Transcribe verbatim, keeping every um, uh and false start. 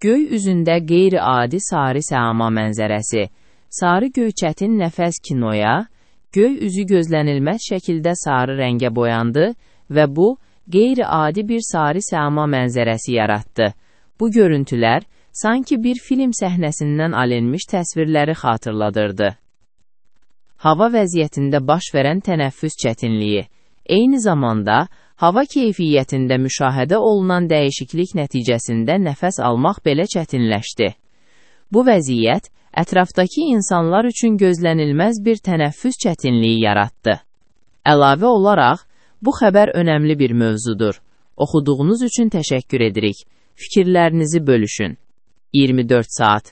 Göy üzündə qeyri-adi sarı səma mənzərəsi. Sarı göyçətin nəfəs kinoya, göy üzü gözlənilməz şəkildə sarı rəngə boyandı və bu, qeyri-adi bir sarı səma mənzərəsi yaratdı. Bu görüntülər, sanki bir film səhnəsindən alınmış təsvirləri xatırladırdı. Hava vəziyyətində baş verən tənəffüs çətinliyi. Eyni zamanda, hava keyfiyyətində müşahidə olunan dəyişiklik nəticəsində nəfəs almaq belə çətinləşdi. Bu vəziyyət, ətrafdakı insanlar üçün gözlənilməz bir tənəffüs çətinliyi yaratdı. Əlavə olaraq, bu xəbər önəmli bir mövzudur. Oxuduğunuz üçün təşəkkür edirik. Fikirlərinizi bölüşün. iyirmi dörd saat.